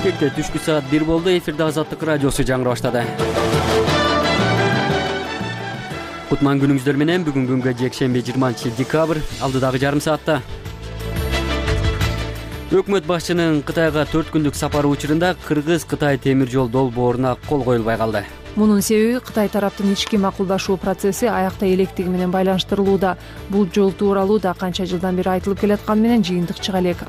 Бишкекте түшкү саат 1 болду. Эфирде Азаттык радиосу жаңырап баштады. Кутман күнүңүздөр менен бүгүн күнгө жекшемби 20-декабрь алдыдагы жарым саатта. Өкмөт башчынын Кытайга 4 күндүк сапары учурунда Кыргыз-Кытай темир жол долбооруна кол коюлбай калды. Мунун себеби Кытай тараптын ички макулдашуу процесси аякта электиги менен байланыштырылууда. Бул жол тууралуу да канча жылдан бери айтылып келатканы менен жыйынтык чыга элек.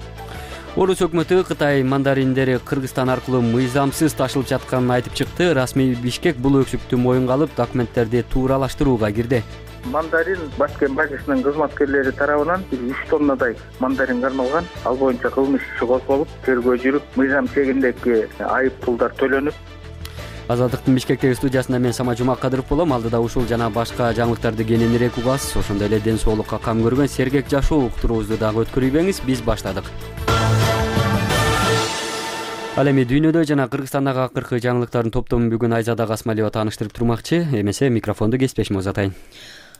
Орус өкмөтү Кытай мандариндери Кыргызстан аркылуу мыйзамсыз ташылып жатканын айтып чыкты. Расмий Бишкек бул өксүктү моюнга алып, документтерди тууралаштырууга кирди. Мандарин башкент базасынын кызматкерлери тарабынан 3 тоннадай мандарин кармалган. Ал боюнча кылмыш иши козголуп, тергөө жүрүп, мыйзам чегиндеги айып пулдар төлөнүп. Азаттыктын Бишкектеги студиясында мен Сама Жумакадыров болом. Алдыда ушул жана башка жаңылыктарды кененирээк угасыз. Ошондой эле ден соолукка кам көргөн сергек жашоо уктуруубузду дагы өткөрүйбеңиз. Биз баштадык. Ал эми дүйнөдө жана Кыргызстандагы акыркы жаңылыктардын топтомун бүгүн Айзада Касмалиева тааныштырып турмакчы. Эмесе микрофонду кесипбешиме узатайын.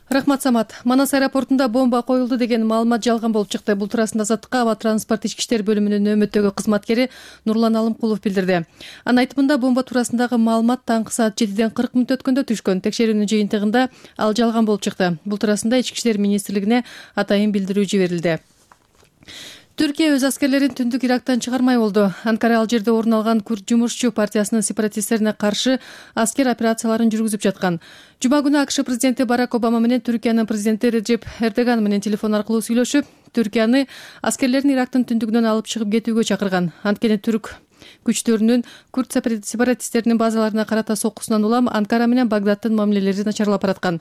Рахмат, Самат. Манас аэропортунда бомба коюлду деген маалымат жалган болуп чыкты. Бул туурасында Азаттыкка Аба транспорт ички иштер бөлүмүнүн нөөмөттөгү кызматкери Нурлан Алымкулов билдирди. Анын айтымында бомба туурасындагы маалымат таңкы саат 7ден 40 мүнөт өткөндө түшкөн. Текшерүүнүн жыйынтыгында ал жалган болуп чыкты. Бул туурасында Ички иштер министрлигине атайын билдирүү жиберилди. Түркия өз аскерлерин түндүк Ирактан чыгармай болду. Анкара ал жерде орун алган Күрд жумушчу партиясынын сепаратисттерине каршы аскер операцияларын жүргүзүп жаткан. Жума күнү АКШ президенти Барак Обама менен Түркиянын президенти Реджеп Эрдоган менен телефон аркылуу сүйлөшүп, Түркияны аскерлерин Ирактын түндүгүнөн алып чыгып кетүүгө чакырган. Анткени түрк күчтөрүнүн Күрд сепаратисттеринин базаларына карата соккусунан улам Анкара менен Багдадтын мамилелери начарлап бараткан.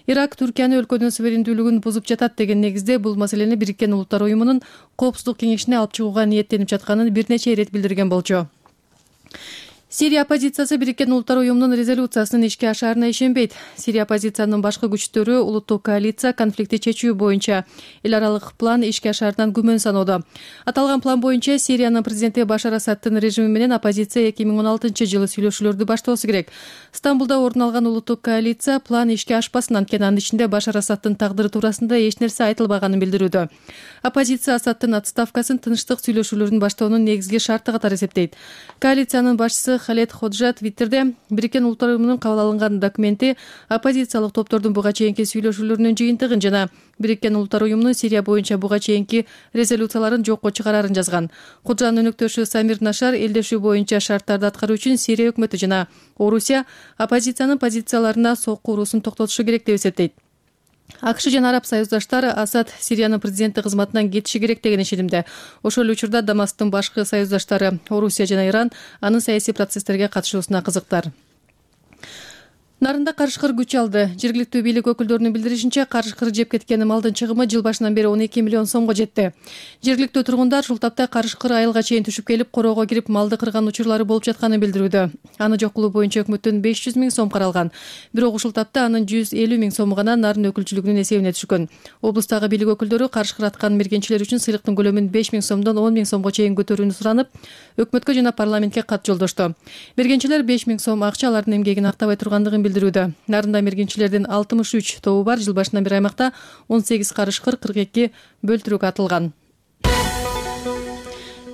Ирак Түркияны өлкөнүн суверендүүлүгүн бузуп жатат деген негизде бул маселени Бириккен Улуттар уюмунун Коопсуздук кеңешине алып чыгууга ниеттенип жатканын бир нече ирет билдирген болчу. Сирия оппозициясы Бириккен Улуттар уюмунун резолюциясынын ишке ашаарына ишенбейт. Сирия оппозициянын башкы күчтөрү улуттук коалиция конфликти чечүү боюнча эл аралык план ишке ашаарынан күмөн саноодо. Аталган план боюнча Сириянын президенти Башар Асадтын режими менен оппозиция 2016-жылы сүйлөшүүлөрдү баштоосу керек. Стамбулда орун алган улуттук коалиция план ишке ашпасын, анткени анын ичинде Башар Асадтын тагдыры туурасында эч нерсе айтылбаганын билдирүүдө. Оппозиция Асадтын отставкасын тынчтык сүйлөшүүлөрүн баштоонун негизги шарты катары эсептейт. Коалициянын башчысы Халед Ходжа Твиттерде Бириккен Улуттар уюмунун кабыл алынган документи оппозициялык топтордун буга чейинки сүйлөшүүлөрүнүн жыйынтыгын жана Бириккен Улуттар уюмунун Сирия боюнча буга чейинки резолюцияларын жокко чыгарарын жазган. Ходжанын өнөктөшү Самир Нашар элдешүү боюнча шарттарды аткаруу үчүн Сирия өкмөтү жана Орусия оппозициянын позицияларына сокку уруусун токтотушу керек деп эсептейт. АКШ жана араб союздаштары Асад Сириянын президенти кызматынан кетиши керек деген ишенимде. Ошол эле учурда Дамасктын башкы союздаштары Орусия жана Иран анын саясий процесстерге катышуусуна кызыктар. Нарында карышкыр күч алды. Жергиликтүү бийлик өкүлдөрүнүн билдиришинче, карышкыр жеп кеткен малдын чыгымы жыл башынан бери 12 миллион сомго жетти. Жергиликтүү тургундар ушул тапта карышкыр айылга чейин түшүп келип, короого кирип малды кырган учурлары болуп жатканын билдирүүдө. Аны жок кылуу боюнча өкмөттөн 500 миң сом каралган. Бирок ушул тапта анын 150 миң сому гана нарын өкүлчүлүгүнүн эсебине түшкөн. Облустагы бийлик өкүлдөрү карышкыр аткан мергенчилер үчүн сыйлыктын көлөмүн 5 миң сомдон 10 миң сомго чейин көтөрүүнү суранып, өкмөткө жана парламентке кат жолдошту. Мергенчилер 5 миң сом акча алардын эмгегин актабай тургандыгын билдирүүдө. Нарында мергенчилердин 63 тобу бар. Жыл башынан бери аймакта 18 карышкыр, 42 бөлтүрүк атылган.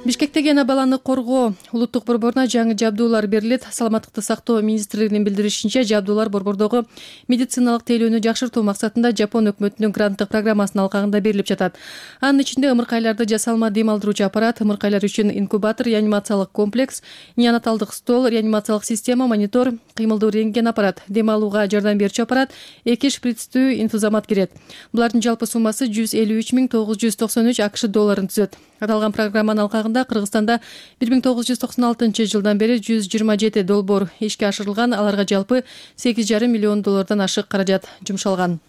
Бишкектеги ана баланы коргоо улуттук борборуна жаңы жабдуулар берилет. Саламаттыкты сактоо министрлигинин билдиришинче, жабдуулар борбордогу медициналык тейлөөнү жакшыртуу максатында Жапон өкмөтүнүн гранттык программасынын алкагында берилип жатат. Анын ичинде ымыркайларды жасалма дем алдыруучу аппарат, ымыркайлар үчүн инкубатор, реанимациялык комплекс, неонаталдык стол, реанимациялык система, монитор, кыймылдуу рентген аппарат, дем алууга жардам берүүчү аппарат, 2 шприцтүү инфузомат кирет. Булардын жалпы суммасы 153 993 АКШ долларын түзөт. Аталган программанын алкагында Кыргызстанда 1996 жылдан бери 127 долбоор ишке ашырылган, аларга жалпы 8,5 миллион доллардан ашык каражат жумшалган.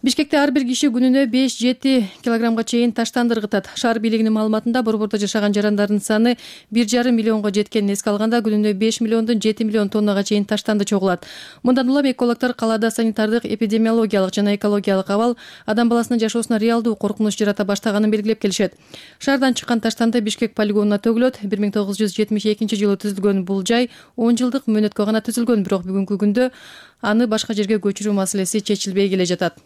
Бишкекте ар бир киши күнүнө 5-7 килограммга чейин таштанды ыргытат. Шаар бийлигинин маалыматында борбордо жашаган жарандардын саны 1,5 миллионго жеткенин эске алганда күнүнө 5 миллиондон 7 миллион тоннага чейин таштанды чогулат. Мындан улам экологдор калаада санитардык, эпидемиологиялык жана экологиялык абал адам баласынын жашоосуна реалдуу коркунуч жарата баштаганын белгилеп келишет. Шаардан чыккан таштанды Бишкек полигонуна төгүлөт. 1972 жылы түзүлгөн бул жай 10 жылдык мөөнөткө гана түзүлгөн, бирок бүгүнкү күндө аны башка жерге көчүрүү маселеси чечилбей келе жатат.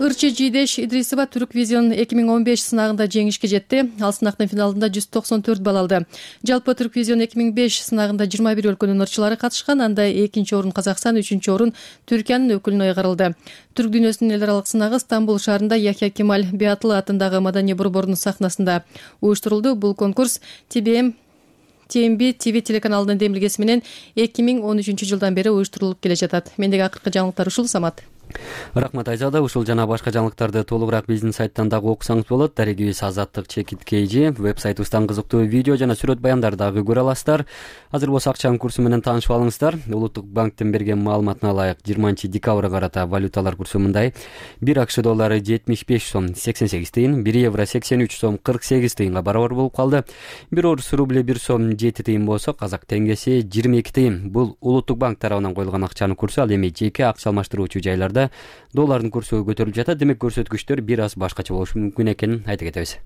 ырчы Жийдеш Идрисова Түрк Визион 2015 сынагында жеңишке жетти. Ал сынактын финалында 194 балл алды. Жалпы Түрк Визион 2005 сынагында 21 өлкөнүн ырчылары катышкан. Анда 2-нчи орун Казакстан, 3-нчү орун Түркиянын өкүлүнө ыйгарылды. Түрк дүйнөсүнүн эл аралык сынагы Стамбул шаарында Яхья Кемаль Биатлы атындагы маданий борбордун сахнасында уюштурулду. Бул конкурс TMB TV телеканалынын демилгеси менен 2013 жылдан бери уюштурулуп келе жатат. Мендеги акыркы жаңылыктар ушул. Самат. Рахмат Айзада. Ушул жана башка жаңылыктарды толугураак биздин сайттан дагы окусаңыз болот. Дарегибиз Азаттык /KG веб-сайтыбыздан кызыктуу видео жана сүрөт баяндарды дагы көрө аласыздар. Азыр болсо акчанын курсу менен таанышып алыңыздар. Улуттук банктен берген маалыматына ылайык 20-декабрга карата валюталар курсу мындай: 1 акш доллары 75 сом 88 тыйын, 1 евро 83 сом 48 тыйынга барабар болуп калды. 1 орус рубли 1 сом 7 тыйын болсо, казак теңгеси 22 тыйын. Бул Улуттук банк тарабынан коюлган акчанын курсу. Ал эми жеке акча алмаштыруучу жайларда доллардын курсу көтөрүлүп жатат. Демек көрсөткүчтөр бир аз башкача болушу мүмкүн экенин айта кетебиз.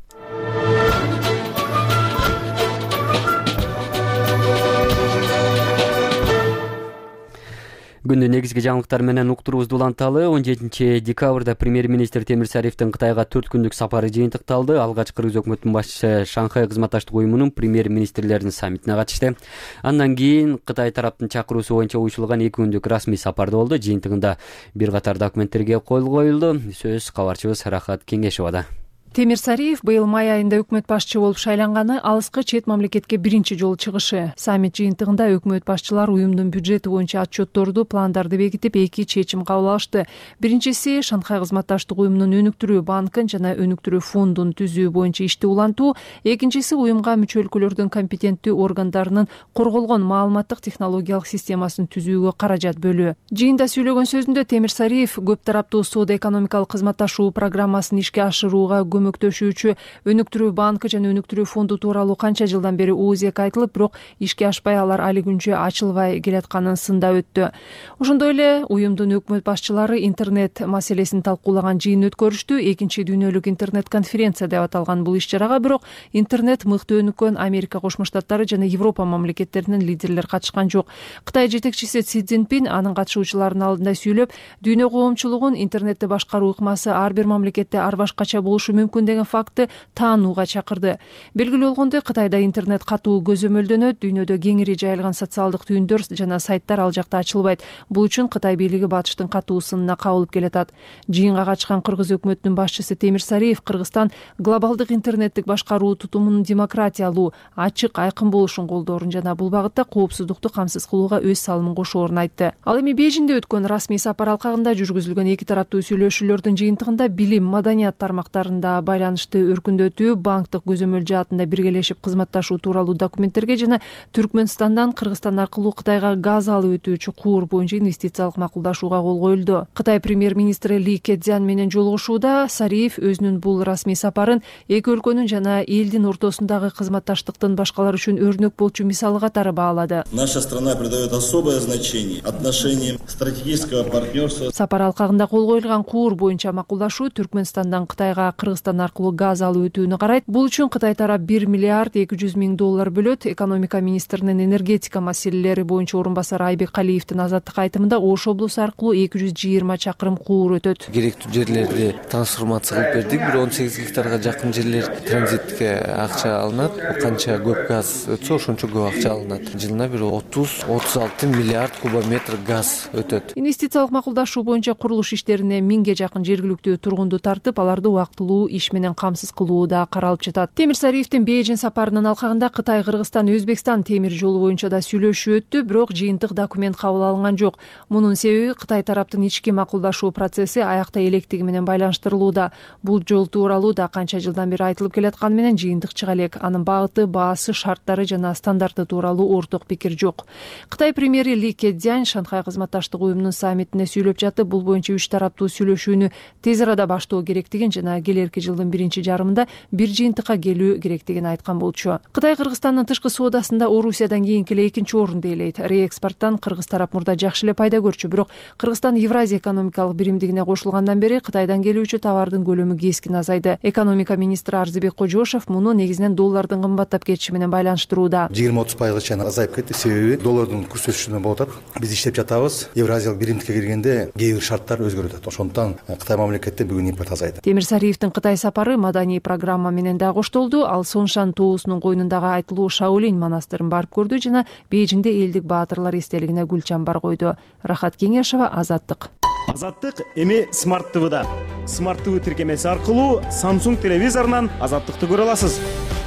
Күндүн негизги жаңылыктары менен уктуруубузду уланталы. 17-декабрда премьер-министр Темир Сариевдин Кытайга 4 күндүк сапары жыйынтыкталды. Алгач кыргыз өкмөтүнүн башчысы Шанхай кызматташтык уюмунун премьер-министрлеринин саммитине катышты. Андан кийин Кытай тараптын чакыруусу боюнча уюшулган 2 күндүк расмий сапарда болду. Жыйынтыгында бир катар документтерге кол коюлду. Сөз кабарчыбыз Рахат Кеңешовада. Темир Сариев быйыл май айында өкмөт башчы болуп шайланганы алыскы чет мамлекетке биринчи жолу чыгышы. Саммит жыйынтыгында өкмөт башчылар уюмдун бюджети боюнча отчетторду, пландарды бекитип, 2 чечим кабыл алышты. Биринчиси Шанхай кызматташтык уюмунун өнүктүрүү банкын жана өнүктүрүү фондун түзүү боюнча ишти улантуу. Экинчиси уюмга мүчө өлкөлөрдүн компетенттүү органдарынын корголгон маалыматтык технологиялык системасын түзүүгө каражат бөлүү. Жыйында сүйлөгөн сөзүндө Темир Сариев көп тараптуу соода-экономикалык кызматташуу программасын ишке ашырууга көмөктөшүүчү өнүктүрүү банкы жана өнүктүрүү фонду тууралуу канча жылдан бери оозек айтылып, бирок ишке ашпай, алар али күнчө ачылбай келатканын сындап өттү. Ошондой эле уюмдун өкмөт башчылары интернет маселесин талкуулаган жыйын өткөрүштү. Экинчи дүйнөлүк интернет конференция деп аталган бул иш-чарага бирок интернет мыкты өнүккөн Америка Кошмо Штаттары жана Европа мамлекеттеринин лидерлери катышкан жок. Кытай жетекчиси Си Цзиньпин анын катышуучуларынын алдында сүйлөп, дүйнө коомчулугун интернетти башкаруу ыкмасы ар бир мамлекетте ар башкача болушу мүмкүн деген факты таанууга чакырды. Белгилүү болгондой, Кытайда интернет катуу көзөмөлдөнөт, дүйнөдө кеңири жайылган социалдык түйүндөр жана сайттар ал жакта ачылбайт. Бул үчүн Кытай бийлиги батыштын катуу сынына кабылып келатат. Жыйынга катышкан кыргыз өкмөтүнүн башчысы Темир Сариев Кыргызстан глобалдык интернеттик башкаруу тутумунун демократиялуу, ачык, айкын болушун колдоорун жана бул багытта коопсуздукту камсыз кылууга өз салымын кошоорун айтты. Ал эми Бейжиңде өткөн расмий сапар алкагында жүргүзүлгөн 2 тараптуу сүйлөшүүлөрдүн жыйынтыгында билим, маданият тармактарында байланышты өркүндөтүү, банктык көзөмөл жаатында биргелешип кызматташуу тууралуу документтерге жана Түркмөнстандан Кыргызстан аркылуу Кытайга газ алып өтүүчү куур боюнча инвестициялык макулдашууга кол коюлду. Кытай премьер-министри Ли Кэцзян менен жолугушууда Сариев өзүнүн бул расмий сапарын эки өлкөнүн жана элдин ортосундагы кызматташтыктын башкалар үчүн өрнөк болчу мисалы катары баалады. Наша страна придает особое значение отношениям стратегического партнерства. Сапар алкагында кол коюлган куур боюнча макулдашуу Түркмөнстандан Кытайга Кыргызстан аркылуу газ алып өтүүнү карайт. Бул үчүн Кытай тарап 1 миллиард 200 миң доллар бөлөт. Экономика министринин энергетика маселелери боюнча орун басары Айбек Калиевдин Азаттык айтымында Ош облусу аркылуу 220 чакырым куур өтөт. Керектүү жерлерди трансформация кылып бердик. Бир 18 гектарга жакын жерлер транзитке акча алынат. Канча көп газ өтсө, ошончо көп акча алынат. Жылына бир 30-36 миллиард кубометр газ өтөт. Инвестициялык макулдашуу боюнча курулуш иштерине 1000ге жакын жергиликтүү тургунду тартып, аларды убактылуу иш менен камсыз кылуу да каралып жатат. Темир Сариевдин Бейжиң сапарынын алкагында Кытай, Кыргызстан, Өзбекстан темир жолу боюнча да сүйлөшүү өттү, бирок жыйынтык документ кабыл алынган жок. Мунун себеби Кытай тараптын ички макулдашуу процесси аякта электиги менен байланыштырылууда. Бул жол тууралуу да канча жылдан бери айтылып келатканы менен жыйынтык чыга элек. Анын багыты, баасы, шарттары жана стандарты тууралуу орток пикир жок. Кытай премьери Ли Кэцзян Шанхай кызматташтык уюмунун саммитине сүйлөп жатып, бул боюнча 3 тараптуу сүйлөшүүнү тез арада баштоо керектигин жана келерки жылдын биринчи жарымында бир жыйынтыкка келүү керектигин айткан болчу. Кытай Кыргызстандын тышкы соодасында Орусиядан кийинки эле экинчи орунду ээлейт. Реэкспорттон Кыргыз тарап мурда жакшы эле пайда көрчү, бирок Кыргызстан Евразия экономикалык биримдигине кошулгандан бери Кытайдан келүүчү товардын көлөмү кескин азайды. Экономика министри Арзыбек Кожошов муну негизинен доллардын кымбаттап кетиши менен байланыштырууда. 20-30% чейин азайып кетти. Себеби доллардын курс өсүшүнөн болуп атат. Биз иштеп жатабыз. Евразиялык биримдикке киргенде кээ бир шарттар өзгөрүп атат. Ошондуктан Кытай мамлекеттен бүгүн импорт азайды. Темирсариевдин Кытай сапары маданий программа менен да коштолду. Ал Сонсhan тоосунун койнундагы айтылуу Шаолинь монастырын барып көрдү жана Бейжиңде элдик баатырлар эстелигине гүл чамбар койду. Рахат Кеңешова, Азаттык. Азаттык эми Smart TV'да. Smart TV тиркемеси аркылуу Samsung телевизорунан Азаттыкты көрө аласыз.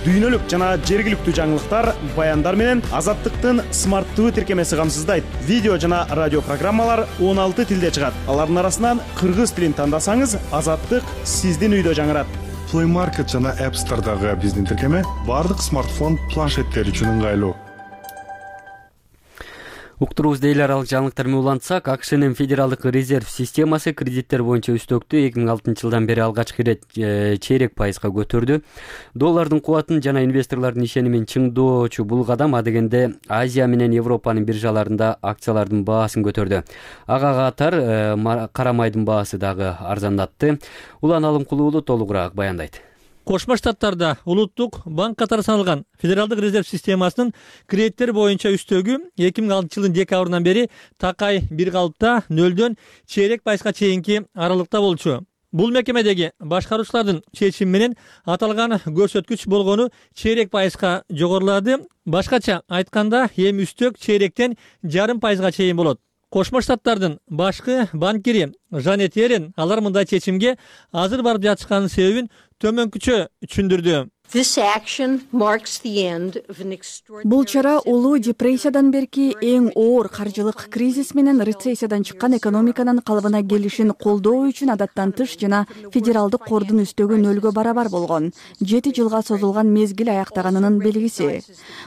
Дүйнөлүк жана жергиликтүү жаңылыктар, баяндар менен Азаттыктын Smart TV тиркемеси камсыздайт. Видео жана радио программалар 16 тилде чыгат. Алардын арасынан кыргыз тилин тандасаңыз, Азаттык сиздин үйдө жаңырат. Play Market жана App Store'дагы биздин тиркеме бардык смартфон, планшеттер үчүн ыңгайлуу. Уктурубузда эл аралык жаңылыктар менен улантсак, АКШнын федералдык резерв системасы кредиттер боюнча үстөктү 2006 жылдан бери алгачкы ирет чейрек пайызга көтөрдү. Доллардын кубатын жана инвесторлордун ишенимин чыңдоочу бул кадам адегенде Азия менен Европанын биржаларында акциялардын баасын көтөрдү. Ага катар кара майдын баасы дагы арзандатты. Улан Алымкулуу уулу толугураак баяндайт. Кошмо Штаттарда улуттук банк катары саналган федералдык резерв системасынын кредиттер боюнча үстөгү 2006 жылдын декабрынан бери такай бир калыпта 0-дөн чейрек пайызга чейинки аралыкта болчу. Бул мекемедеги башкаруучулардын чечими менен аталган көрсөткүч болгону чейрек пайызга жогорулады. Башкача айтканда, эми үстөк чейректен жарым пайызга чейин болот. Кошмо Штаттардын башкы банкири Жанет Ерен алар мындай чечимге азыр барып жатышканын себебин төмөнкүчө түшүндүрдү. Бул чара улуу депрессиядан берки эң оор каржылык кризис менен рецессиядан чыккан экономиканын калыбына келишин колдоо үчүн адаттан тыш жана федералдык кордун үстөгү 0-гө барабар болгон 7 жылга созулган мезгил аяктаганынын белгиси.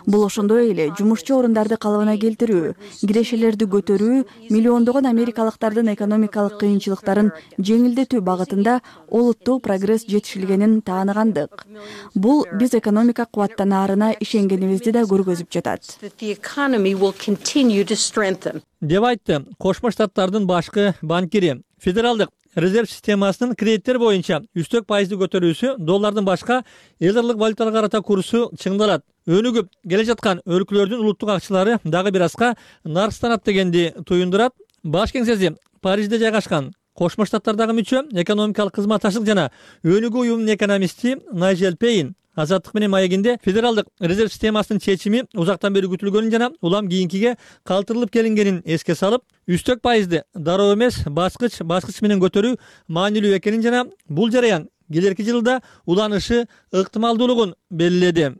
Бул ошондой эле жумушчу орундарды калыбына келтирүү, кирешелерди көтөрүү, миллиондогон америкалыктардын экономикалык кыйынчылыктарын жеңилдетүү багытында олуттуу прогресс жетишилгенин тааныгандык. Бул биз экономика кубаттанаарына ишенгенибизди да көргөзүп жатат. Деп айтты Кошмо Штаттардын башкы банкири. Федералдык резерв системасынын кредиттер боюнча үстөк пайызды көтөрүүсү доллардын башка эл аралык валюталарга карата курсу чыңдалат. Өнүгүп келе жаткан өлкөлөрдүн улуттук акчалары дагы бир азга наркстанат дегенди туюндурат. Баш кеңсеси Парижде жайгашкан. Кошмо Штаттардагы мүчө экономикалык кызматташтык жана өнүгүү уюмунун экономисти Найджел Пейн Азаттык менен маегинде федералдык резерв системасынын чечими узактан бери күтүлгөнүн жана улам кийинкиге калтырылып келингенин эске салып, үстөк пайызды дароо эмес баскыч менен көтөрүү маанилүү экенин жана бул жараян келерки жылда уланышы ыктымалдуулугун белгиледи.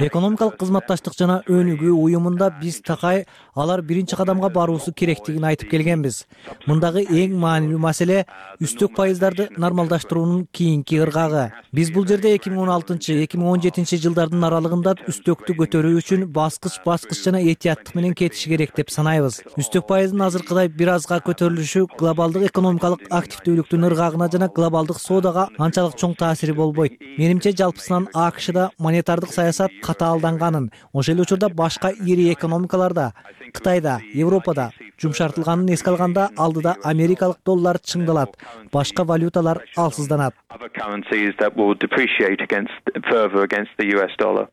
Экономикалык кызматташтык жана өнүгүү уюмунда биз такай алар биринчи кадамга баруусу керектигин айтып келгенбиз. Мындагы эң маанилүү маселе үстөк пайыздарды нормалдаштыруунун кийинки ыргагы. Биз бул жерде 2016-2017 жылдардын аралыгында үстөктү көтөрүү үчүн баскыч жана этияттык менен кетиши керек деп санайбыз. Үстөк пайыздын азыркыдай бир азга көтөрүлүшү глобалдык экономикалык активдүүлүктүн ыргагына жана глобалдык соодага анчалык чоң таасири болбойт. Менимче жалпысынан АКШда монетардык саясат катаалданганын, ошол эле учурда башка ири экономикаларда, Кытайда, Европада жумшартылганын эске алганда алдыда америкалык доллар чыңдалат, башка валюталар алсызданат.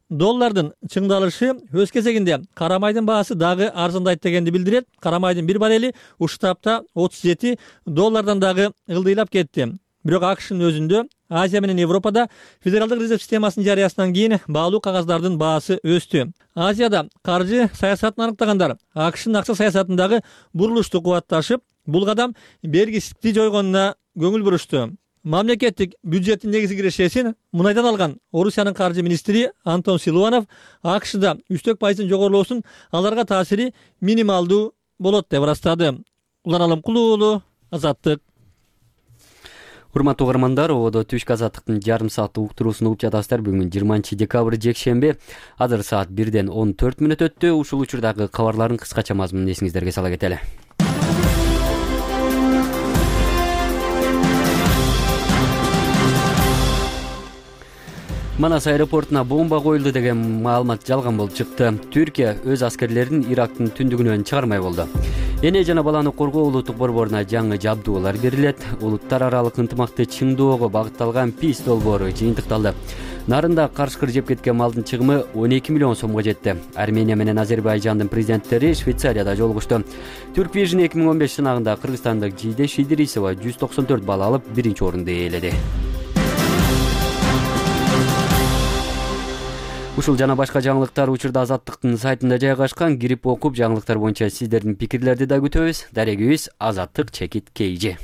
Доллардын чыңдалышы өз кезегинде кара майдын баасы дагы арзандайт дегенди билдирет. Кара майдын бир баррели ушул тапта $37 дагы ылдыйлап кетти. Бирок АКШнын өзүндө Азия менен Европада федералдык резерв системасынын жарыясынан кийин баалуу кагаздардын баасы өстү. Азияда каржы саясатын аныктагандар АКШнын акча саясатындагы бурулушту кубатташып, бул кадам бергисиздикти жойгонуна көңүл бурушту. Мамлекеттик бюджеттин негизги кирешесин мунайдан алган Орусиянын каржы министри Антон Силуанов АКШда үстөк пайыздын жогорулоосунун аларга таасири минималдуу болот деп ырастады. Улан Алымкулуу уулу, Азаттык. Урматтуу угармандар, ободо түшкү Азаттыктын жарым сааттык уктуруусун угуп жатасыздар. Бүгүн 20 декабрь жекшемби. Азыр саат 1:14 өттү. Ушул учурдагы кабарлардын кыскача мазмунун эсиңиздерге сала кетели. Манас аэропортуна бомба коюлду деген маалымат жалган болуп чыкты. Түркия өз аскерлерин Ирактын түндүгүнөн чыгармай болду. Эне жана баланы коргоо улуттук борборуна жаңы жабдуулар берилет. Улуттар аралык ынтымакты чыңдоого багытталган PEACE долбоору жыйынтыкталды. Нарында карышкыр жеп кеткен малдын чыгымы 12 миллион сомго жетти. Армения менен Азербайжандын президенттери Швейцарияда жолугушту. Turkvision 2015 сынагында кыргызстандык Жийдеш Идрисова 194 балл алып, биринчи орунду ээледи. Ушул жана башка жаңылыктар учурда Азаттыктын сайтында жайгашкан. Кирип окуп, жаңылыктар боюнча сиздердин пикирлерди да күтөбүз. Дарегибиз Азаттык чекит KG.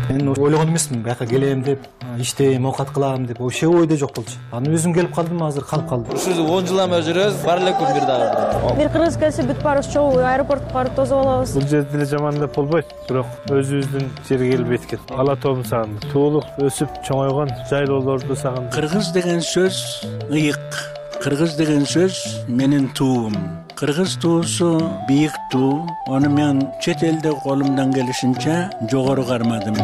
Мен ойлогон эмесмин бияка келем деп, иштейм, оокат кылам деп, вообще ойдо жок болчу. Аны өзүм келип калдым, азыр калып калдым. Ушул 10 жылдан бери жүрөбүз, бар эле күн бир дагы. Бир кыргыз келсе бүт баарыбыз чогуу аэропортко барып тосуп алабыз. Бул жерде деле жаман деп болбойт, бирок өзүбүздүн жерге келип эткет. Ала тоом сагындым. Туулук өсүп чоңойгон жайлоолорду сагындым. Кыргыз деген сөз ыйык. Кыргыз деген сөз менин туум. Кыргыз туусу бийик туу. Аны мен чет элде колумдан келишинче жогору кармадым.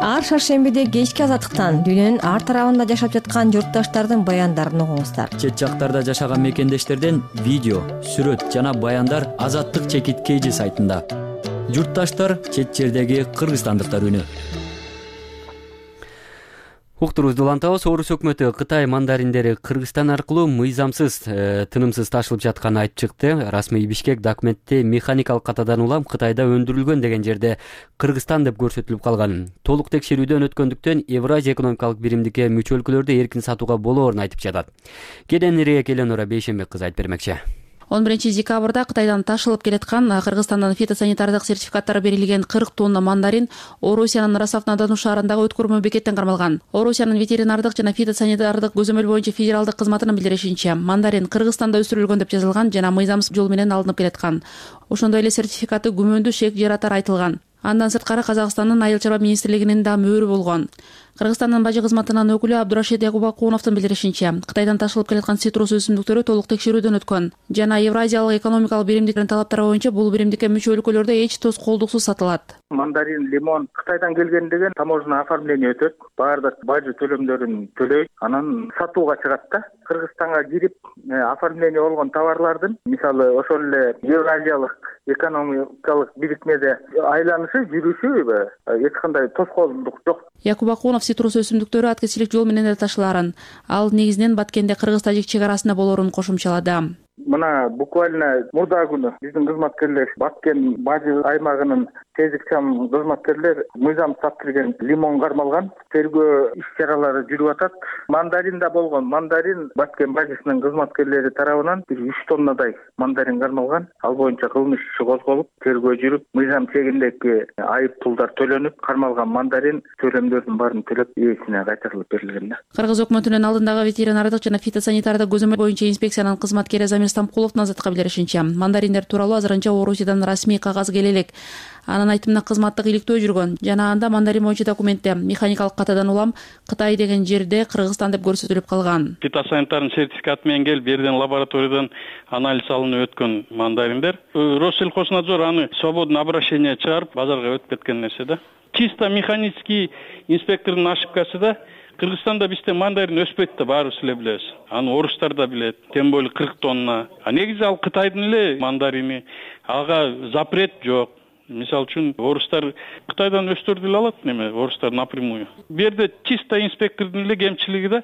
Ар шаршембиде кечки Азаттыктан дүйнөнүн ар тарабында жашап жаткан журтташтардын баяндарын угуңуздар. Чет жактарда жашаган мекендештерден видео, сүрөт жана баяндар Азаттык чекит KG сайтында. Журтташтар, чет жердеги кыргызстандыктар үнү. Уктурубузду улантабыз. Орус өкмөтү Кытай мандариндери Кыргызстан аркылуу мыйзамсыз, тынымсыз ташылып жатканын айтып чыкты. Расмий Бишкек документте механикалык катадан улам Кытайда өндүрүлгөн деген жерде Кыргызстан деп көрсөтүлүп калган. Толук текшерүүдөн өткөндүктөн Евразия экономикалык биримдикке мүчө өлкөлөрдө эркин сатууга болоорун айтып жатат. Кеденирээк Эленора Бейшембек кызы айтып бермекчи. 11 декабрда Кытайдан ташылып келаткан Кыргызстандан фитосанитардык сертификаттары берилген 40 тонна мандарин Орусиянын Ростов-на-Дону шаарындагы өткөрмө бекеттен кармалган. Орусиянын ветеринардык жана фитосанитардык көзөмөл боюнча федералдык кызматынын билдиришинче, мандарин Кыргызстанда өстүрүлгөн деп жазылган жана мыйзамсыз жол менен алынып келаткан. Ошондой эле сертификаты күмөндүү шек жаратары айтылган. Андан сырткары Казакстандын Айыл чарба министрлигинин да мөөрү болгон. Кыргызстандын бажы кызматынын өкүлү Абдурашид Якубакуновдун билдиришинче, Кытайдан ташылып келаткан цитрус өсүмдүктөрү толук текшерүүдөн өткөн жана Евразиялык экономикалык биримдиктин талаптары боюнча бул биримдикке мүчө өлкөлөрдө эч тоскоолдуксуз сатылат. Мандарин, лимон Кытайдан келген деген таможня оформление өтөт, баардык бажы төлөмдөрүн төлөйт, анан сатууга чыгат да. Кыргызстанга кирип оформление болгон товарлардын, мисалы ошол эле Евразиялык экономикалык бирикмеде айланышы, жүрүшү эч кандай тоскоолдук жок. Якубакунов цитрус өсүмдүктөрү аткезчилик жол менен эле ташылаарын, ал негизинен Баткенде кыргыз-тажик чек арасында болоорун кошумчалады. Мына буквально мурда күнү биздин кызматкерлер Баткен бажы аймагынын тездик чам кызматкерлер мыйзам сатып лимон кармалган. Тергөө иш-чаралары жүрүп атат. Мандарин да болгон. Мандарин Баткен бажысынын кызматкерлери тарабынан 3 тоннадай мандарин кармалган. Ал боюнча кылмыш иши козголуп, тергөө жүрүп, мыйзам чегиндеги айып пулдар төлөнүп, кармалган мандарин төлөмдөрдүн баарын төлөп ээсине кайтарылып берилген. Кыргыз өкмөтүнүн алдындагы ветеринардык жана фитосанитардык көзөмөл боюнча инспекциянын кызматкери Стампуловдун Азаттыкка билдиришинче, мандариндер тууралуу азырынча Орусиядан расмий кагаз келе элек. Анын айтымында кызматтык иликтөө жүргөн жана анда мандарин боюнча документте механикалык катадан улам Кытай деген жерде Кыргызстан деп көрсөтүлүп калган. Фитосанитардын сертификаты менен келип, берден лабораториядан анализ алынып өткөн мандариндер. Россельхознадзор аны свободный обращение чыгарып, базарга өтүп кеткен нерсе да. Чисто механический инспектордун ошибкасы да. Кыргызстанда бизде мандарин өспөйт да, баарыбыз эле билебиз. Аны орустар да билет. Тем более 40 тонна. Негизи ал Кытайдын эле мандарини. Ага запрет жок. Мисалы үчүн орустар Кытайдан өстүрүп алат неме, орустар напрямую. Бу жерде чисто инспектордун эле кемчилиги да,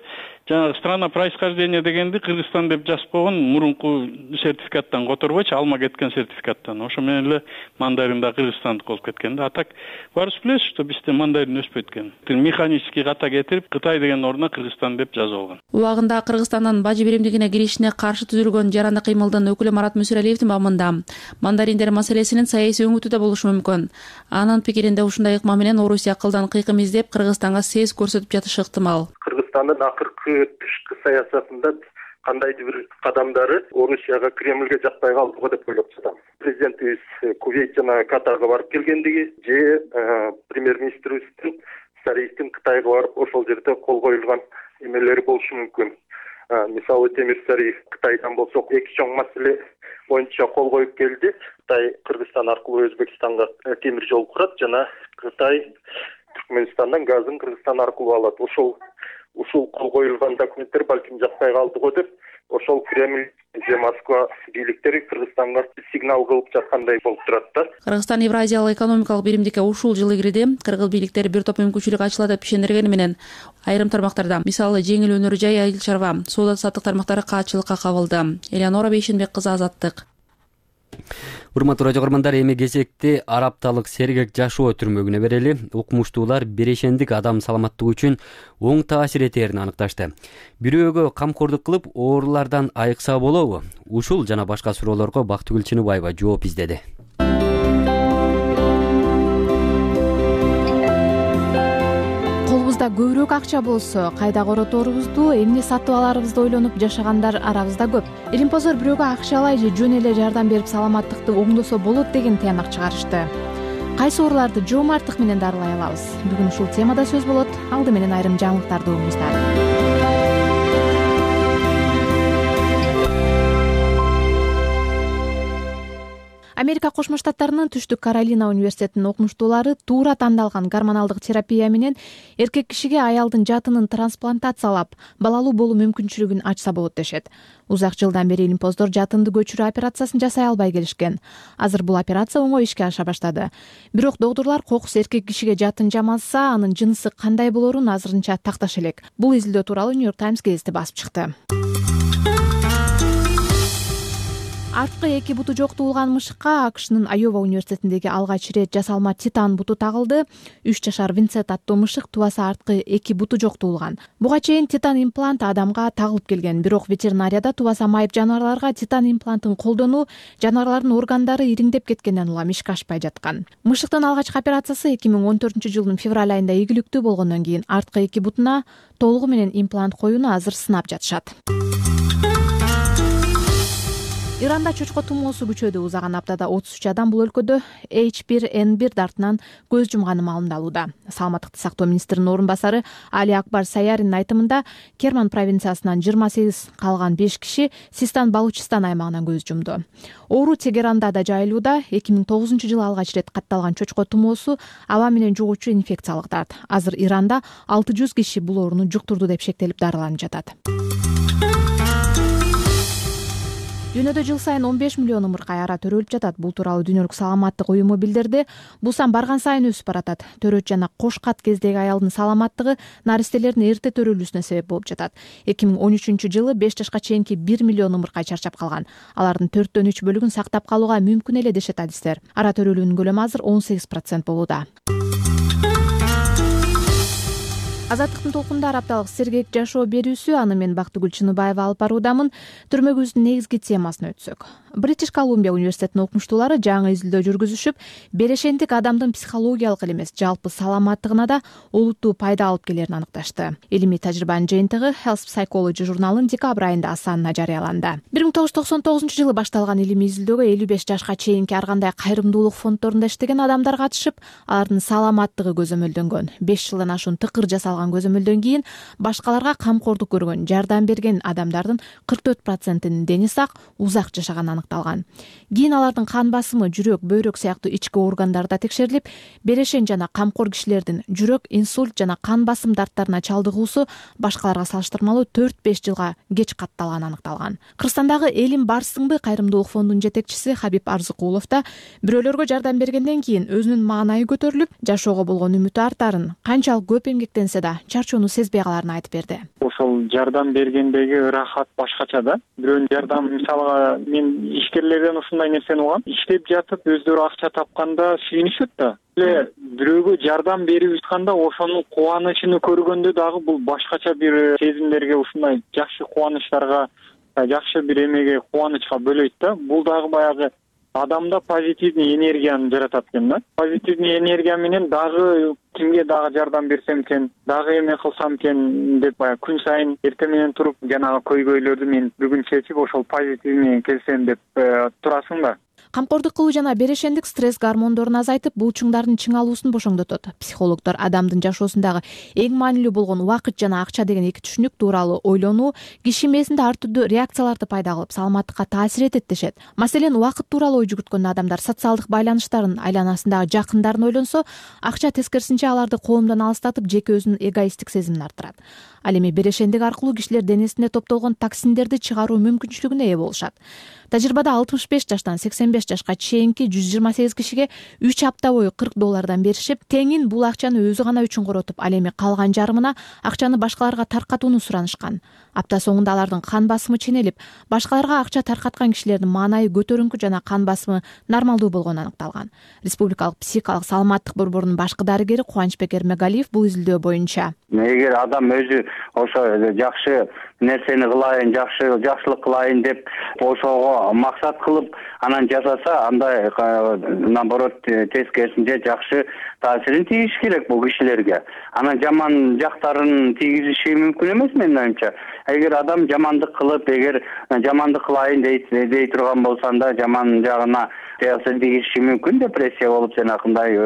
жанагы страна происхождения дегенди Кыргызстан деп жазып койгон, мурунку сертификаттан которбойчу, алма кеткен сертификаттан. Ошо менен эле мандарин да Кыргызстандык болуп кеткен да. А так баарыбыз билебиз, что бизде мандарин өспөйт экен. Механический ката кетирип, Кытай деген ордуна Кыргызстан деп жазып алган. Убагында Кыргызстандын бажы биримдигине киришине каршы түзүлгөн жаранды кыймылдын өкүлү Марат Мүсүралиевдин бабында мандариндер маселесинин саясий өңүтү да болушу мүмкүн. Анын пикиринде ушундай ыкма менен Орусия акылдан кыйкым издеп Кыргызстанга сез көрсөтүп жатышы ыктымал. Кыргызстандын акыркы тышкы саясатында кандайдыр бир кадамдары Орусияга Кремльге жакпай калдыго деп ойлоп жатам. Президентибиз Кувейт жана Катарга барып келгендиги же премьер-министрибиздин Сариевдин Кытайга барып ошол жерде кол коюлган эмелери болушу мүмкүн. Мисалы Темир Сариев Кытайдан болсо эки чоң маселе боюнча кол коюп келди. Кытай Кыргызстан аркылуу Өзбекстанга темир жол курат жана Кытай Түркмөнстандан газын Кыргызстан аркылуу алат. Ошол ушул кол коюлган документтер балким жакпай калдыго деп ошол Кремль же Москва бийликтери Кыргызстанга сигнал кылып жаткандай болуп турат да. Кыргызстан Евразиялык экономикалык биримдикке ушул жылы кириде. Кыргыз бийликтери бир топ мүмкүнчүлүк ачылат деп ишендиргени менен айрым тармактарда, мисалы жеңил өнөр жай, айыл чарба, соода саттык тармактары каатчылыкка кабылды. Элеонора Бейшенбек кызы, Азаттык. Урматтуу радио көрөрмандар, эми кезекти Арапталык Сергек жашоо түрмөгүнө берели. Окумуштуулар берешендик адам саламаттыгы үчүн оң таасир этерин аныкташты. Бирөөгө камкордук кылып, оорулардан айыкса болобу? Ушул жана башка суроолорго Бактыгүл Чыныбаева жооп издеди. Колубузда көбүрөөк акча болсо, кайда короторубузду, эмне сатып аларыбызды ойлонуп жашагандар арабызда көп. Илимпоздор бирөөгө акчалай же жөн эле жардам берип саламаттыкты оңдосо болот деген тыянак чыгарышты. Кайсы ооруларды жоомарттык менен дарылай алабыз? Бүгүн ушул темада сөз болот. Алды менен айрым жаңылыктарды угуңуздар. Америка Кошмо Штаттарынын Түштүк Каролина университетинин окумуштуулары туура тандалган гормоналдык терапия менен эркек кишиге аялдын жатынын трансплантациялап, балалуу болуу мүмкүнчүлүгүн ачса болот дешет. Узак жылдан бери илимпоздор жатынды көчүрүү операциясын жасай албай келишкен. Азыр бул операция оңой ишке аша баштады. Бирок доктурлар кокус эркек кишиге жатын жамаса, анын жынысы кандай болоорун азырынча такташ элек. Бул изилдөө тууралуу New York Times гезити басып чыкты. Арткы эки буту жок туулган мышыкка АКШнын Айова университетиндеги алгач ирет жасалма титан буту тагылды. 3 жашар Винсент аттуу мышык тубасы арткы эки буту жок туулган. Буга чейин титан имплант адамга тагылып келген, бирок ветеринарияда тубаса майып жаныбарларга титан имплантын колдонуу жаныбарлардын органдары ириңдеп кеткенден улам ишке ашпай жаткан. Мышыктын алгачкы операциясы 2014-жылдын февраль айында ийгиликтүү болгондон кийин арткы эки бутуна толугу менен имплант коюуну азыр сынап жатышат. Иранда чочко тумоосу күчөдү. Узаган аптада 33 адам бул өлкөдө H1N1 дартынан көз жумганы маалымдалууда. Саламаттыкты сактоо министринин орун басары Али Акбар Саяринин айтымында Керман провинциясынан 28 калган 5 киши Систан Балучистан аймагынан көз жумду. Оору Тегеранда да жайылууда. 2009-жылы алгач ирет катталган чочко тумоосу аба менен жугуучу инфекциялык дарт. Азыр Иранда 600 киши бул ооруну жуктурду деп шектелип дарыланып жатат. Дүйнөдө жыл сайын 15 миллион умуркай ара төрөлүп жатат. Бул тууралуу Дүйнөлүк саламаттык уюму билдирди. Бул сан барган сайын өсүп баратат. Төрөт жана кош кат кездеги аялдын саламаттыгы наристелердин эрте төрөлүүсүнө себеп болуп жатат. 2013-жылы 5 жашка чейинки 1 миллион умуркай чарчап калган. Алардын 4/3 бөлүгүн сактап калууга мүмкүн эле дешет адистер. Ара төрөлүүнүн көлөмү азыр 18% болууда. Азаттыктын толкунда Арапталык Сергек жашоо берүүсү, аны мен Бактыгүл Чыныбаева алып баруудамын. Түрмөгүбүздүн негизги темасына өтсөк. Бритиш Колумбия университетинин окумуштуулары жаңы изилдөө жүргүзүшүп, берешендик адамдын психологиялык эле эмес, жалпы саламаттыгына да олуттуу пайда алып келерин аныкташты. Илимий тажрыйбанын жыйынтыгы Health Psychology журналынын декабрь айында санына жарыяланды. 1999-жылы башталган илимий изилдөөгө 55 жашка чейинки ар кандай кайрымдуулук фонддорунда иштеген адамдар катышып, алардын саламаттыгы көзөмөлдөнгөн. 5 жылдан ашуун тыкыр жасалган көзөмөлдөн кийин башкаларга камкордук көргөн, жардам берген адамдардын 44%-нин дени сак, узак жашаганы аныкталган. Кийин алардын кан басымы, жүрөк, бөйрөк сыяктуу ички органдары да текшерилип, берешен жана камкор кишилердин жүрөк, инсульт жана кан басым дарттарына чалдыгуусу башкаларга салыштырмалуу 4-5 жылга кеч катталганы аныкталган. Кыргызстандагы Элим Барсыңбы кайрымдуулук фондунун жетекчиси Хабиб Арзыкулов да бирөөлөргө жардам бергенден кийин өзүнүн маанайы көтөрүлүп, жашоого болгон үмүтү артарын, канчалык көп эмгектенсе да чарчоону сезбей каларын айтып берди. Ошол жардам бергендеги ырахат башкача да. Бирөөнүн жардам, мисалга мен ишкерлерден ушундай нерсени угам. Иштеп жатып өздөрү акча тапканда сүйүнүшөт да. Эле бирөөгө жардам берип жатканда ошонун кубанычын көргөндө дагы бул башкача бир сезимдерге, ушундай жакшы кубанычтарга, жакшы бир эмеге, кубанычка бөлөйт да. Бул дагы баягы адамда позитивный энергияны жаратат экен да. Позитивный энергия менен дагы кимге дагы жардам берсем экен, дагы эме кылсам экен деп баягы күн сайын эртең менен туруп жанагы көйгөйлөрдү мен бүгүн чечип ошол позитив менен келсем деп турасың да. камкордук кылуу жана берешендик стресс гормондорун азайтып, булчуңдардын чыңалуусун бошоңдотот. Психологдор адамдын жашоосундагы эң маанилүү болгон убакыт жана акча деген эки түшүнүк тууралуу ойлонуу киши мээсинде ар түрдүү реакцияларды пайда кылып, саламаттыкка таасир этет дешет. Маселен, убакыт тууралуу ой жүгүрткөн адамдар социалдык байланыштарын, айланасындагы жакындарын ойлонсо, акча тескерисинче аларды коомдон алыстатып, жеке өзүнүн эгоисттик сезимин арттырат. Ал эми берешендик аркылуу кишилер денесинде топтолгон токсиндерди чыгаруу мүмкүнчүлүгүнө ээ болушат. Тажрыйбада 65 жаштан 85 жашка чейинки 128 кишиге 3 апта бою $40 беришип, теңин бул акчаны өзү гана үчүн коротуп, ал эми калган жарымына акчаны башкаларга таркатууну суранышкан. Апта соңунда алардын кан басымы ченелип, башкаларга акча таркаткан кишилердин маанайы көтөрүңкү жана кан басымы нормалдуу болгону аныкталган. Республикалык психикалык саламаттык борборунун башкы дарыгери Кубанычбек Эрмегалиев бул изилдөө боюнча: эгер адам өзү ошо жакшы нерсени кылайын, жакшылык кылайын деп ошого максат кылып анан жасаса, андай наоборот тескерисинче жакшы таасирин тийиш керек бул кишилерге. Анан жаман жактарын тийгизиши мүмкүн эмес менин оюмча. Эгер адам жамандык кылып, эгер жамандык кылайын дей турган болсо, анда жаман жагына таасир тийиши мүмкүн, депрессия болуп, жанакындай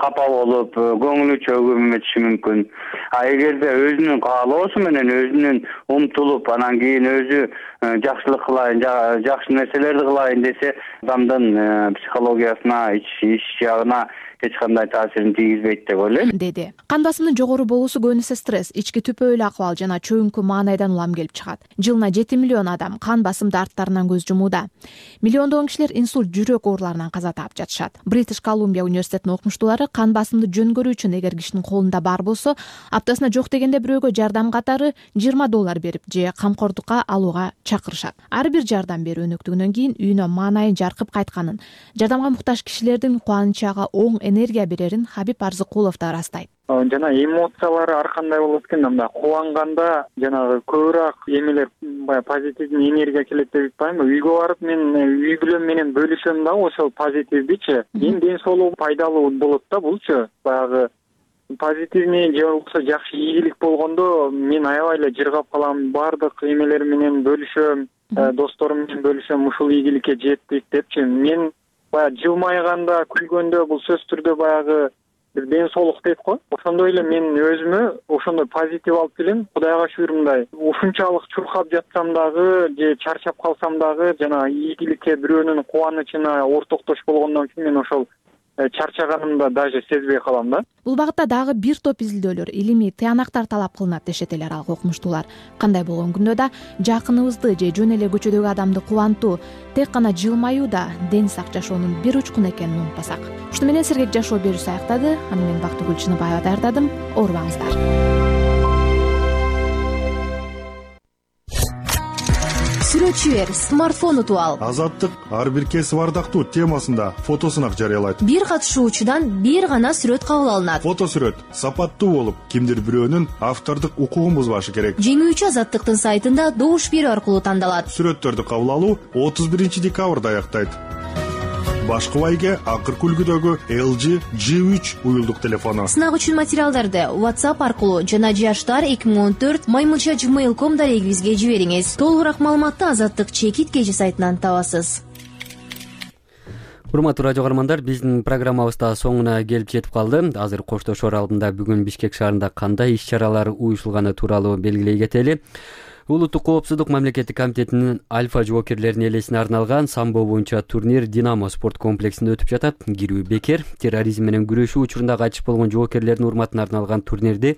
капа болуп, көңүлү чөгүмөтүшү мүмкүн. А эгерде өзүнүн каалоосу менен өзүнүн умтулуп, анан кийин өзү жакшылык кылайын, жакшы нерселерди кылайын десе, адамдын психологиясына, ич жагына эч кандай таасирин тийгизбейт деп ойлойм, деди. Кан басымдын жогору болуусу көбүнесе стресс, ички түпөөлүү акыбал жана чөйүңкү маанайдан улам келип чыгат. Жылына 7 миллион адам кан басымды арттарынан көз жумууда. Миллиондогон кишилер инсульт, жүрөк ооруларынан каза таап жатышат. Бритиш Колумбия университетинин окумуштуулары кан басымды жөнгөрүү үчүн эгер кишинин колунда бар болсо, аптасына жок дегенде бирөөгө жардам катары $20 берип же камкордукка алууга чакырышат. Ар бир жардам берүү өнөктүгүнөн кийин үйүнө маанайы жаркып кайтканын, жардамга муктаж кишилердин кубанычага оң энергия берерин Хабиб Арзыкулов да ырастайт. Жана эмоциялары ар кандай болот экен, мындай кубанганда жанагы көбүрөөк эмелер, баягы позитивдүү энергия келет деп айтпаймынбы? Үйгө барып мен үй бүлөм менен бөлүшөм дагы ошол позитивдичи. Эми ден соолугу пайдалуу болот да булчу. Баягы позитивный же болбосо жакшы ийгилик болгондо мен аябай эле жыргап калам, баардык эмелер менен бөлүшөм, досторум менен бөлүшөм, ушул ийгиликке жеттик депчи. Мен баягы жылмайганда, күлгөндө бул сөзсүз түрдө баягы бир ден соолук дейт го. Ошондой эле мен өзүмө ошондой позитив алып келем. Кудайга шүгүр, мындай ушунчалык чуркап жатсам дагы же чарчап калсам дагы жана ийгиликке, бирөөнүн кубанычына ортоктош болгондон кийин мен ошол чарчаганымда даже сезбей калам да. Бул багытта дагы бир топ изилдөөлөр, илимий тыянактар талап кылынат дешет эле аралык окумуштуулар. Кандай болгон күндө да жакыныбызды же жөн эле көчөдөгү адамды кубантуу, тек гана жылмаюу да ден сак жашоонун бир учкуну экенин унутпасак. Ушуну менен сергек жашоо берүүсү аяктады. Аны мен Бактыгүл Чыныбаева даярдадым. Оорубаңыздар. Сүрөтчү бер, смартфон утуп ал. Азаттык ар бир кесип ардактуу темасында фотосунак жарыялайт. Бир катышуучудан бир гана сүрөт кабыл алынат. Фотосүрөт сапаттуу болуп, кимдир бирөөнүн автордук укугун бузбашы керек. Жеңүүчү Азаттыктын сайтында добуш берүү аркылуу тандалат. Сүрөттөрдү кабыл алуу 31 декабрда аяктайт. Башкы байге акыркы үлгүдөгү LG G3 уюлдук телефону. Сынак үчүн материалдарды WhatsApp аркылуу жана jashtar2014@gmail.com дарегибизге жибериңиз. Толугураак маалыматты Азаттык чекит кежи сайтынан табасыз. Урматтуу радио каармандар, биздин программабыз да соңуна келип жетип калды. Азыр коштошоор алдында бүгүн Бишкек шаарында кандай иш-чаралар уюштулганы тууралуу белгилей кетели. Улуттук коопсуздук мамлекеттик комитетинин альфа жоокерлеринин элесине арналган самбо боюнча турнир Динамо спорт комплексинде өтүп жатат. Кирүү бекер. Терроризм менен күрөшүү учурунда кайтыш болгон жоокерлердин урматына арналган турнирди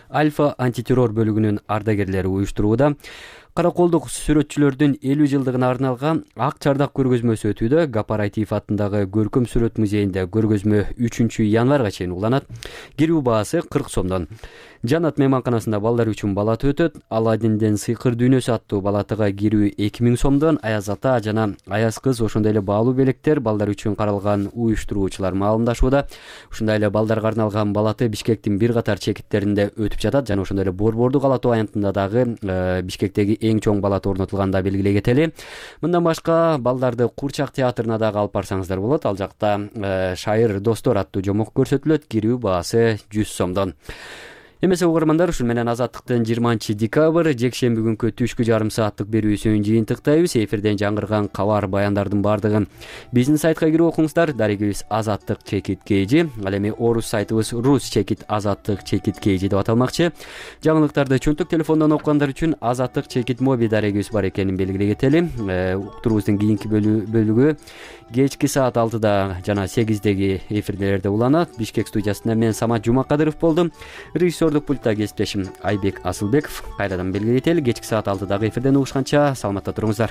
альфа антитеррор бөлүгүнүн ардагерлери уюштурууда. Караколдук сүрөтчүлөрдүн 50 жылдыгына арналган ак чардак көргөзмөсү өтүүдө. Гапар Айтиев атындагы көркөм сүрөт музейинде көргөзмө 3 январга чейин уланат. Кирүү баасы 40 сомдон. Жанат мейманканасында балдар үчүн балат өтөт. Аладдинден сыйкыр дүйнөсү аттуу балатыга кирүү 2000 сомдон. Аяз ата жана Аяз кыз ошондой эле баалуу белектер балдар үчүн каралган уюштуруучулар маалымдашууда. Ушундай эле балдарга арналган балаты Бишкектин бир катар чекиттеринде өтүп жатат жана ошондой эле Борбордук ала тоо аянтында дагы Бишкектеги эң чоң балат орнотулганда белгилей кетели. Мындан башка балдарды Курчак театрына дагы алып барсаңыздар болот. Ал жакта Шайыр достор аттуу жомок көрсөтүлөт. Кирүү баасы 100 сомдон. Эмесе угармандар, ушун менен Азаттыктын 20 декабрь жекшемби күнкү түшкү жарым сааттык берүүсүн жыйынтыктайбыз. Эфирден жаңырган кабар баяндардын бардыгын биздин сайтка кирип окуңуздар. Дарегибиз Азаттык чекит kg. Ал эми орус сайтыбыз рус чекит азаттык чекит kg деп аталмакчы. Жаңылыктарды чөнтөк телефондон окугандар үчүн Азаттык чекит моби дарегибиз бар экенин белгилей кетели. Уктуруубуздун кийинки бөлүгү кечки саат 6-да жана 8-деги эфирлерде уланат. Бишкек студиясында мен Самат Жумакадыров болдум. Режиссерлук пультта кесиптешим Айбек Асылбеков. Кайрадан белгилей кетели, кечки саат 6-дагы эфирден угушканча саламатта туруңуздар.